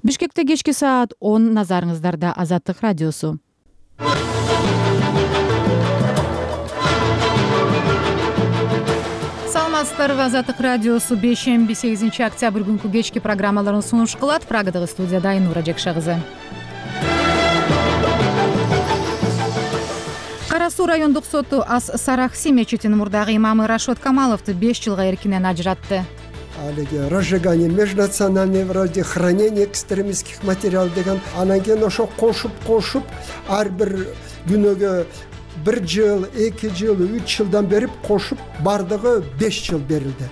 Бишкекте кечки саат 10 назарыңыздарда Азаттык радиосу. Саламатсыздарбы, Азаттык радиосу бейшемби 8 октябрь күнкү кечки программаларын сунуш кылат. Прагадагы студияда Айнура Жекше кызы. Кара Суу райондук соту Ас-Сарахси мечитинин мурдагы имамы Рашод Камаловду 5 жылга эркинен ажыратты. Разжигание межнациональной вроде хранение экстремистских материалов деген анан кийин ошо кошуп ар бир күнөөгө 1 жыл, 2 жыл, 3 жылдан берип кошуп бардыгы 5 жыл берилди.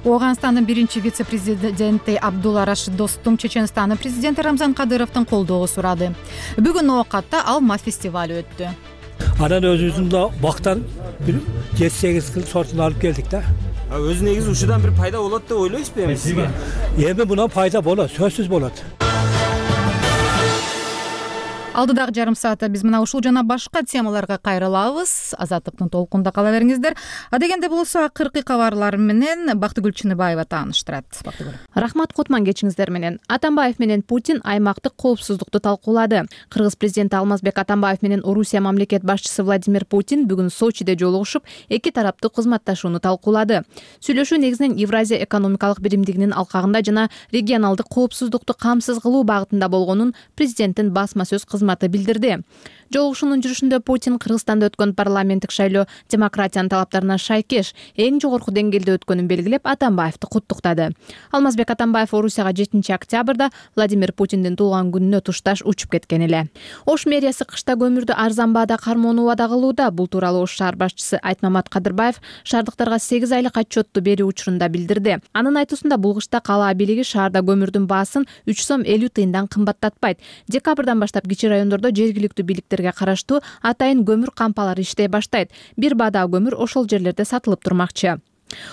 Ооганстандын биринчи вице-президенти Абдулла Рашид Достум Чеченстандын президенти Рамзан Кадыровдун колдоого сурады. Бүгүн оокатта алма фестивалю өттү. Анан өзүбүздүн да бактан 7-8 сортун алып келдик да. Өзү негизи ушудан бир пайда болот деп ойлойсузбу эми сизге? Эми мына пайда болот, сөзсүз болот. Алдыдагы жарым саатта биз мына ушул жана башка темаларга кайрылабыз. Азаттыктын толкунда кала бериңиздер. Дегенде болсо акыркы кабарлар менен Бактыгүл Чыныбаева тааныштырат. Бактыгүл. Рахмат, кутман кечиңиздер менен. Атамбаев менен Путин аймактык коопсуздукту талкуулады. Кыргыз президенти Алмазбек Атамбаев менен Орусия мамлекет башчысы Владимир Путин бүгүн Сочиде жолугушуп, эки тараптуу кызматташууну талкуулады. Сүйлөшүү негизинен Евразия экономикалык биримдигинин алкагында жана регионалдык коопсуздукту камсыз кылуу багытында болгонун президенттин басма сөз кызматы билдирди. Жолугушуунун жүрүшүндө Путин Кыргызстанда өткөн парламенттик шайлоо демократиянын талаптарына шайкеш эң жогорку деңгээлде өткөнүн белгилеп, Атамбаевди куттуктады. Алмазбек Атамбаев Орусияга 7 октябрда Владимир Путиндин туулган күнүнө тушташ учуп кеткен эле. Ош мэриясы кышта көмүрдү арзан баада кармоону убада кылууда. Бул тууралуу Ош шаар башчысы Айтмамат Кадырбаев шаардыктарга 8 айлык отчетту берүү учурунда билдирди. Анын айтуусунда бул кышта кала бийлиги шаарда көмүрдүн баасын 3 сом 50 тыйындан кымбаттатпайт. Декабрдан баштап кичи райондордо жергиликтүү бийликтерге караштуу атайын көмүр кампалары иштей баштайт. Бир баада көмүр ошол жерлерде сатылып турмакчы.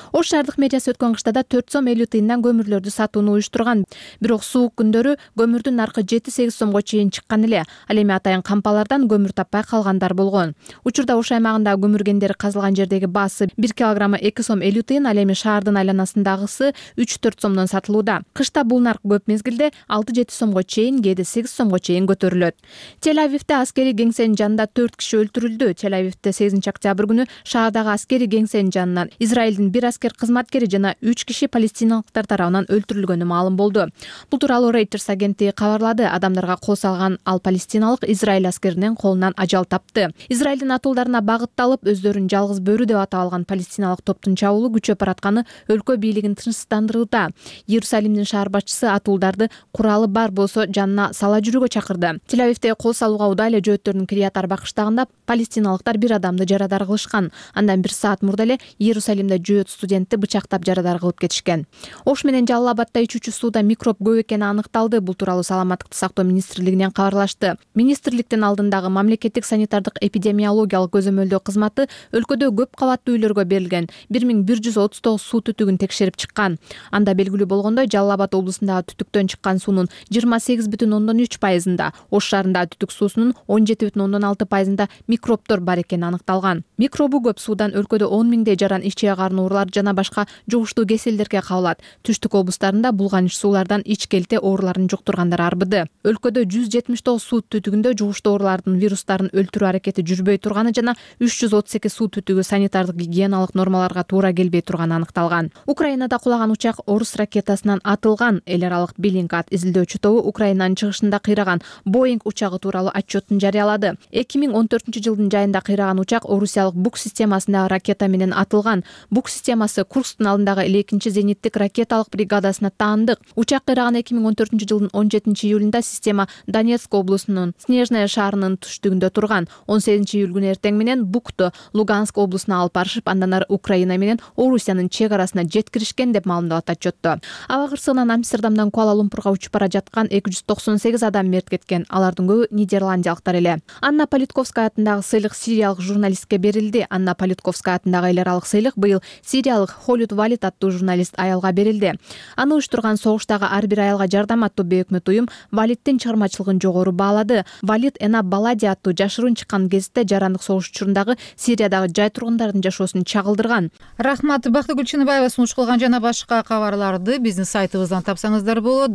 Ош шаардык мэриясы өткөн кыштада 4 сом 50 тыйындан көмүрлөрдү сатууну уюштурган. Бирок суук күндөрү көмүрдүн наркы 7-8 сомго чейин чыккан эле. Ал эми атайын кампалардан көмүр таппай калгандар болгон. Учурда Ош аймагында көмүр казылган жердеги баасы 1 килограммы 2 сом 50 тыйын, ал эми шаардын айланасындагысы 3-4 сомдон сатылууда. Кышта бул нарк көп мезгилде 6-7 сомго чейин, кээде 8 сомго чейин көтөрүлөт. Тель-Авивде аскери кеңсенин жанында 4 киши өлтүрүлдү. Тель-Авивде 8 октябрь күнү шаардагы аскери кеңсенин жанынан Израилдин бир аскер кызматкери жана 3 киши палестиналыктар тарабынан өлтүрүлгөнү маалым болду. Бул тууралуу Reuters агенттиги кабарлады. Адамдарга кол салган ал палестиналык Израиль аскеринин колунан ажал тапты. Израилдин атуулдарына багытталып, өздөрүн жалгыз бөрү деп атап алган палестиналык топтун чабуулу күчөп баратканы өлкө бийлигин тынчсыздандырууда. Иерусалимдин шаар башчысы атуулдарды куралы бар болсо жанына сала жүрүүгө чакырды. Тель-Авивде кол салууга удаа эле жөөттөрдүн Кирият Арба кыштагында палестиналыктар бир адамды жарадар кылышкан. Андан 1 саат мурда эле Иерусалимде жөөт студентти бычактап жарадар кылып кетишкен. Ош менен Жалал Абадда ичүүчү сууда микроб көп экени аныкталды. Бул тууралуу Саламаттыкты сактоо министрлигинен кабарлашты. Министрликтин алдындагы мамлекеттик санитардык эпидемиологиялык көзөмөлдөө кызматы өлкөдө көп кабаттуу үйлөргө берилген 1139 суу түтүгүн текшерип чыккан. Анда белгилүү болгондой, Жалал Абад облусундагы түтүктөн чыккан суунун 28,3%, Ош шаарындагы түтүк суусунун 17,6%, микробдор бар экени аныкталган. Микробу көп суудан өлкөдө 10 миңдей жаран ич-аяк оорлар жана башка жугуштуу кеселдерге кабылат. Түштүк облустарында булганыч суулардан ич келте ооруларын жуктургандар арбыды. Өлкөдө 179 суу түтүгүндө жугуштуу оорулардын вирустарын өлтүрүү аракети жүрбөй турганы жана 332 суу түтүгү санитардык гигиеналык нормаларга туура келбей турганы аныкталган. Украинада кулаган учак орус ракетасынан атылган. Эл аралык Беллингкат изилдөөчү тобу Украинанын чыгышында кыйраган Боинг учагы тууралуу отчеттун жарыялады. 2014-жылдын жайында кыйраган учак Орусиялык Бук системасындагы ракета менен атылган. Бук системасы Курсктун алдындагы 2-нчи зениттик ракеталык бригадасына таандык. Учак кыйраган 2014-жылдын 17-июлунда система Донецк облусунун Снежная шаарынын түштүгүндө турган. 18-июль күнү эртең менен Букту Луганск облусуна алып барышып, андан ары Украина менен Орусиянын чек арасына жеткиришкен деп маалымдалат отчетто. Аба кырсыгынан Амстердамдан Куала-Лумпурга учуп бара жаткан 298 адам мерт кеткен. Алардын көбү нидерландиялыктар эле. Анна Политковская атындагы сыйлык сириялык журналистке берилди. Анна Политковская атындагы эл аралык сыйлык быйыл сириялык Холют Валит аттуу журналист аялга берилди. Аны уюштурган согуштагы ар бир аялга жардам аттуу бейөкмөт уюм Валиттин чыгармачылыгын жогору баалады. Валит Энаб Балади аттуу жашыруун чыккан гезитте жарандык согуш учурундагы Сириядагы жай тургундардын жашоосун чагылдырган. Рахмат, Бактыгүл Чыныбаева сунуш кылган жана башка кабарларды биздин сайтыбыздан тапсаңыздар болот.